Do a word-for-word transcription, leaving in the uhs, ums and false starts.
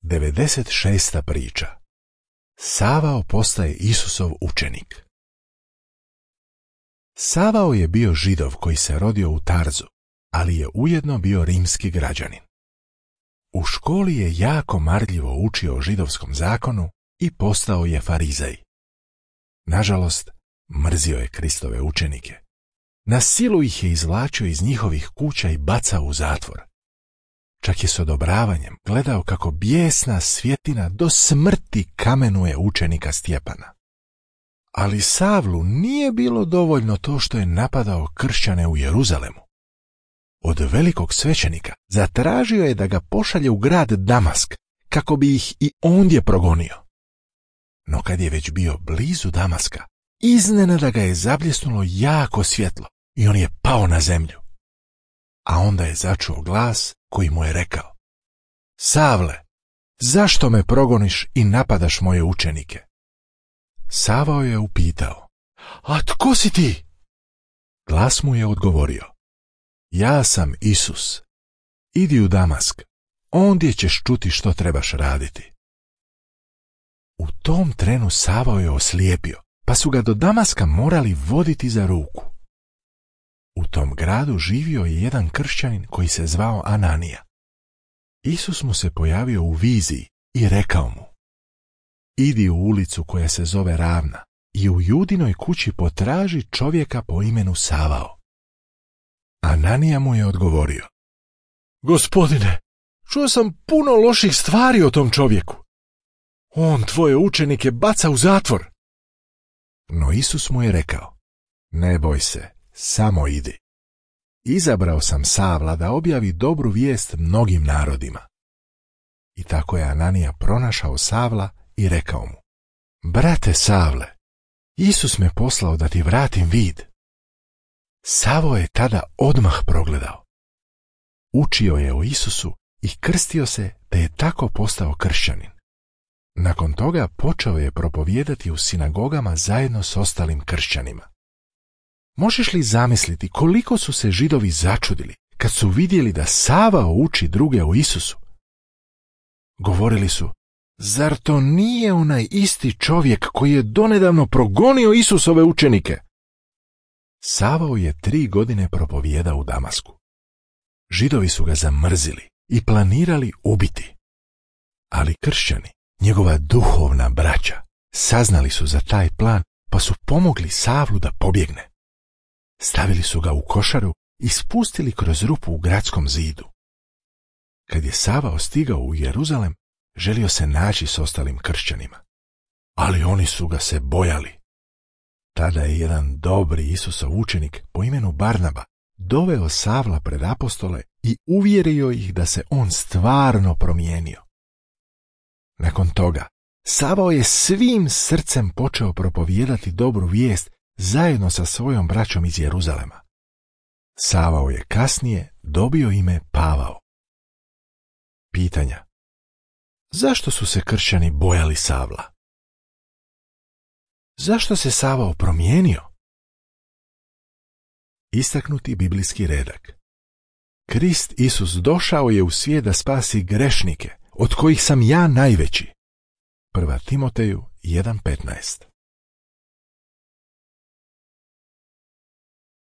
devedeset šesta priča. Savao postaje Isusov učenik. Savao je bio Židov koji se rodio u Tarzu, ali je ujedno bio rimski građanin. U školi je jako marljivo učio o židovskom zakonu i postao je farizej. Nažalost, mrzio je Kristove učenike. Na silu ih je izvlačio iz njihovih kuća i bacao u zatvor. Čak je s odobravanjem gledao kako bijesna svjetina do smrti kamenuje učenika Stjepana. Ali Savlu nije bilo dovoljno to što je napadao kršćane u Jeruzalemu. Od velikog svećenika zatražio je da ga pošalje u grad Damask kako bi ih i ondje progonio. No kad je već bio blizu Damaska, iznenada ga je zabljesnulo jako svjetlo i on je pao na zemlju. A onda je začuo glas koji mu je rekao: Savle, zašto me progoniš i napadaš moje učenike? Savao je upitao: A tko si ti? Glas mu je odgovorio: Ja sam Isus. Idi u Damask, ondje ćeš čuti što trebaš raditi. U tom trenu Savao je oslijepio, pa su ga do Damaska morali voditi za ruku. U tom gradu živio je jedan kršćanin koji se zvao Ananija. Isus mu se pojavio u viziji i rekao mu: Idi u ulicu koja se zove Ravna i u Judinoj kući potraži čovjeka po imenu Savao. Ananija mu je odgovorio: Gospodine, čuo sam puno loših stvari o tom čovjeku. On tvoje učenike baca u zatvor. No Isus mu je rekao: Ne boj se, samo idi. Izabrao sam Savla da objavi dobru vijest mnogim narodima. I tako je Ananija pronašao Savla i rekao mu: Brate Savle, Isus me poslao da ti vratim vid. Savao je tada odmah progledao. Učio je o Isusu i krstio se, te je tako postao kršćanin. Nakon toga počeo je propovijedati u sinagogama zajedno s ostalim kršćanima. Možeš li zamisliti koliko su se Židovi začudili kad su vidjeli da Savao uči druge o Isusu? Govorili su: Zar to nije onaj isti čovjek koji je donedavno progonio Isusove učenike? Savao je tri godine propovijedao u Damasku. Židovi su ga zamrzili i planirali ubiti. Ali kršćani, njegova duhovna braća, saznali su za taj plan pa su pomogli Savlu da pobjegne. Stavili su ga u košaru i spustili kroz rupu u gradskom zidu. Kad je Savao stigao u Jeruzalem, želio se naći s ostalim kršćanima, ali oni su ga se bojali. Tada je jedan dobri Isusov učenik po imenu Barnaba doveo Savla pred apostole i uvjerio ih da se on stvarno promijenio. Nakon toga, Savao je svim srcem počeo propovijedati dobru vijest zajedno sa svojom braćom iz Jeruzalema. Savao je kasnije dobio ime Pavao. Pitanja: Zašto su se kršćani bojali Savla? Zašto se Savao promijenio? Istaknuti biblijski redak. Krist Isus došao je u svijet da spasi grešnike, od kojih sam ja najveći. Prva Timoteju jedan petnaest.